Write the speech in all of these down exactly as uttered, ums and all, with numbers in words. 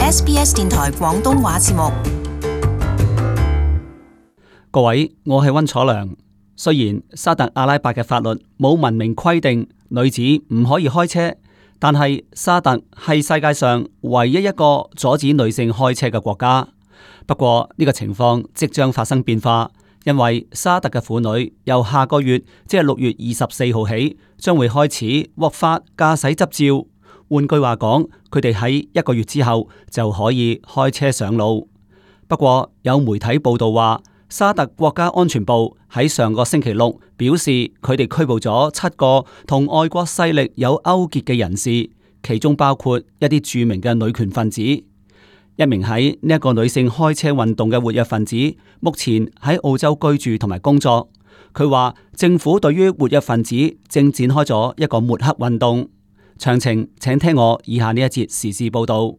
S B S 電台廣東話節目。各位，我係溫楚良。雖然沙特阿拉伯嘅法律冇文明規定女子唔可以開車，但係沙特係世界上唯一一個阻止女性開車嘅國家。不過呢個情況即將發生變化，因為沙特嘅婦女由下個月即係六月二十四號起，將會開始獲發駕駛執照。換句話講，佢哋喺一個月之後就可以開車上路。不過有媒體報道話，沙特國家安全部喺上個星期六表示，佢哋拘捕咗七個同外國勢力有勾結嘅人士，其中包括一啲著名嘅女權分子。一名喺呢一個女性開車運動嘅活躍分子，目前喺澳洲居住同埋工作。佢話政府對於活躍分子正展開咗一個抹黑運動。詳情請聽我以下呢一節時事報道。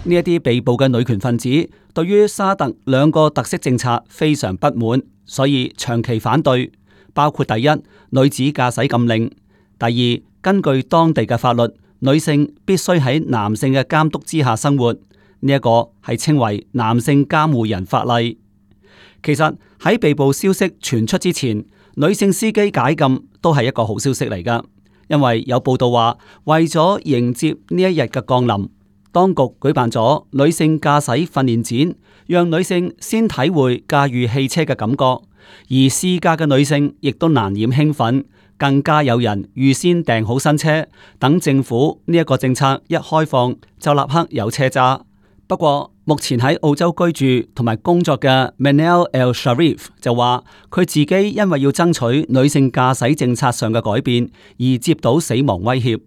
呢一啲被捕嘅女權分子對於沙特兩個特色政策非常不滿，所以長期反對，包括第一，女子駕駛禁令；第二，根據當地嘅法律，女性必須喺男性嘅監督之下生活，呢、這、一個係稱為男性監護人法例。其實喺被捕消息傳出之前，女性司機解禁都係一個好消息嚟㗎，因為有報道話，為咗迎接呢一日嘅降臨，當局舉辦咗女性駕駛訓練展，讓女性先體會駕馭汽車嘅感覺，而試駕嘅女性亦都難掩興奮，更加有人預先訂好新車，等政府呢一個政策一開放就立刻有車揸。不過目前喺澳洲居住同埋工作嘅 Manal Al-Sharif 就話，佢自己因為要爭取女性駕駛政策上嘅改變而接到死亡威脅，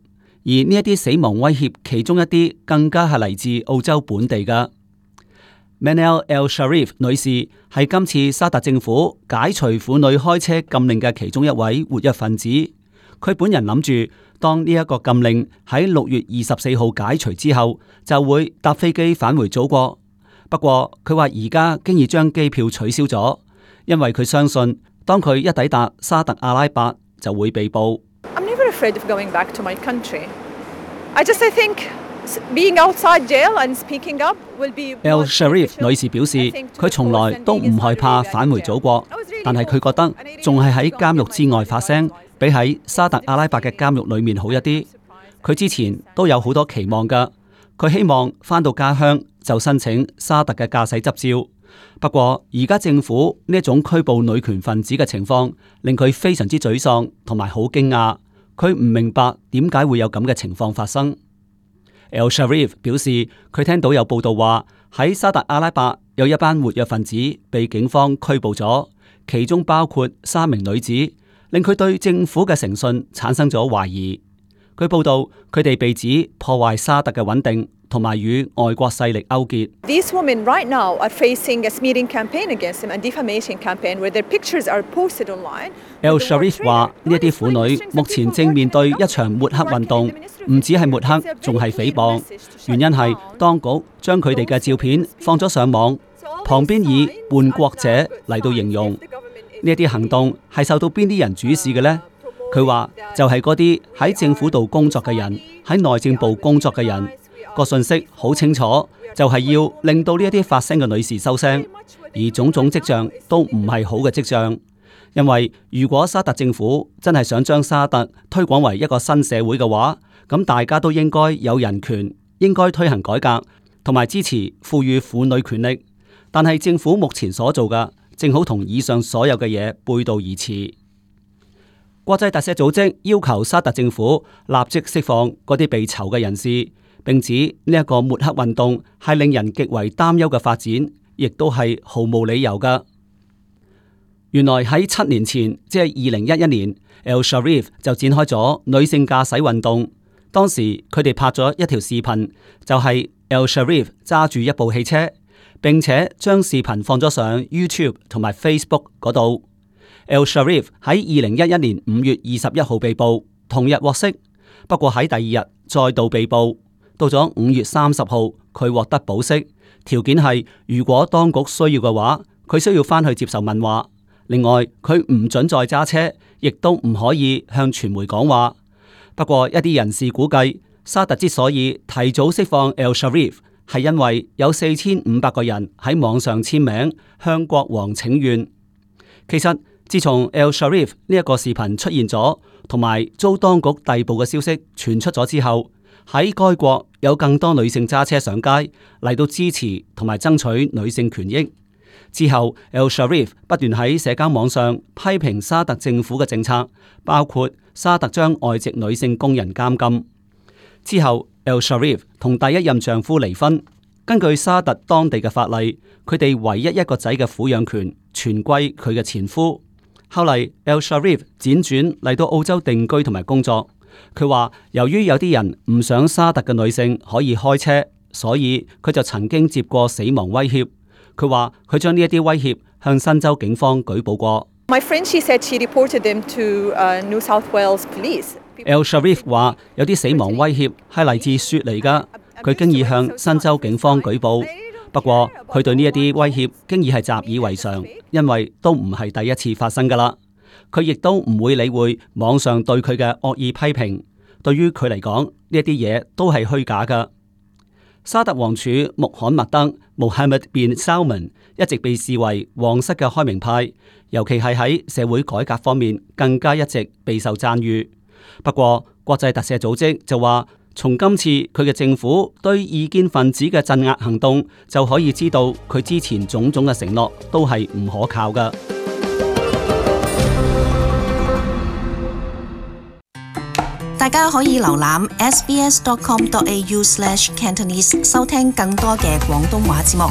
而呢一啲死亡威脅其中一啲更加係嚟自澳洲本地嘅。Manal Al-Sharif 女士係今次沙特政府解除婦女開車禁令嘅其中一位活躍分子。佢本人諗住，當呢一個禁令喺六月二十四號解除之後，就會搭飛機返回祖國。不過佢話而家經已將機票取消咗，因為佢相信當佢一抵達沙特阿拉伯就會被捕。I'm never afraid of going back to my country. I just I think being outside jail and speaking up will be. Al-Sharif 女士表示，佢從來都唔害怕返回祖國，但係佢覺得仲係喺監獄之外發聲，比喺沙特阿拉伯嘅監獄裏面好一啲。佢之前都有好多期望㗎，佢希望返到家鄉就申請沙特嘅駕駛執照。不過而家政府呢一種拘捕女權分子嘅情況，令佢非常之沮喪同埋好驚訝。佢唔明白點解會有咁嘅情況發生。Al-Sharif 表示，佢聽到有報道話喺沙特阿拉伯有一班活躍分子被警方拘捕咗，其中包括三名女子，令佢對政府嘅誠信產生咗懷疑。據報道，佢哋被指破壞沙特嘅穩定，同埋與外國勢力勾結。These women right now are facing a smearing campaign against them and defamation campaign where their pictures are posted online. Al-Sharif 話：呢一啲婦女目前正面對一場抹黑運動，唔止係抹黑，仲係誹謗。原因係當局將佢哋嘅照片放咗上網，旁邊以叛國者嚟到形容。呢一啲行動係受到邊啲人主使嘅呢？佢話就係嗰啲喺政府度工作嘅人，喺內政部工作嘅人。個信息好清楚，就係要令到呢一啲發聲嘅女士收聲，而種種跡象都唔係好嘅跡象。因為如果沙特政府真係想將沙特推廣為一個新社會嘅話，咁大家都應該有人權，應該推行改革，同埋支持賦予婦女權力。但係政府目前所做嘅，正好同以上所有嘅嘢背道而馳。國際特赦組織要求沙特政府立即釋放嗰啲被囚嘅人士，並指呢一個抹黑運動係令人極為擔憂嘅發展，亦都係毫無理由㗎。原來喺七年前，即係二零一一年 Al-Sharif 就展開咗女性駕駛運動。當時佢哋拍咗一條視頻，就係 Al-Sharif 揸住一部汽車，並且將視頻放咗上 YouTube 同埋 Facebook 嗰度。Al-Sharif 喺二零一一年五月二十一號被捕，同日獲釋。不過喺第二日再度被捕，到咗五月三十號佢獲得保釋，條件係如果當局需要嘅話，佢需要翻去接受問話。另外，佢唔准再揸車，亦都唔可以向傳媒講話。不過一啲人士估計，沙特之所以提早釋放 Al-Sharif， 係因為有四千五百個人喺網上簽名向國王請願。其實自從 Al-Sharif 呢一個視頻出現咗，同埋遭當局逮捕嘅消息傳出咗之後，喺該國有更多女性揸車上街嚟到支持同埋爭取女性權益。之後 Al-Sharif 不斷喺社交網上批評沙特政府嘅政策，包括沙特將外籍女性工人監禁。之後 Al-Sharif 同第一任丈夫離婚，根據沙特當地嘅法例，佢哋唯一一個仔嘅撫養權全歸佢嘅前夫。後嚟 Al-Sharif 輾轉嚟到澳洲定居同埋工作。佢話由於有啲人唔想沙特嘅女性可以開車，所以佢就曾經接過死亡威脅。佢話佢將呢一啲威脅向新州警方舉報過。My friend, she said she reported them to New South Wales Police. Al-Sharif 話有啲死亡威脅係嚟自雪梨噶，佢經已向新州警方舉報。不過佢對呢一啲威脅經已係習以為常，因為都唔係第一次發生噶啦。佢亦都唔會理會網上對佢嘅惡意批評。對於佢嚟講，呢一啲嘢都係虛假噶。沙特王儲穆罕默德 Mohammed bin Salman 一直被視為皇室嘅開明派，尤其係喺社會改革方面更加一直備受讚譽。不過國際特赦組織就話，從今次佢嘅政府對異見分子嘅鎮壓行動就可以知道，佢之前種種嘅承諾都係唔可靠㗎。大家可以瀏覽 s b s dot com dot a u slash cantonese 收聽更多嘅廣東話節目。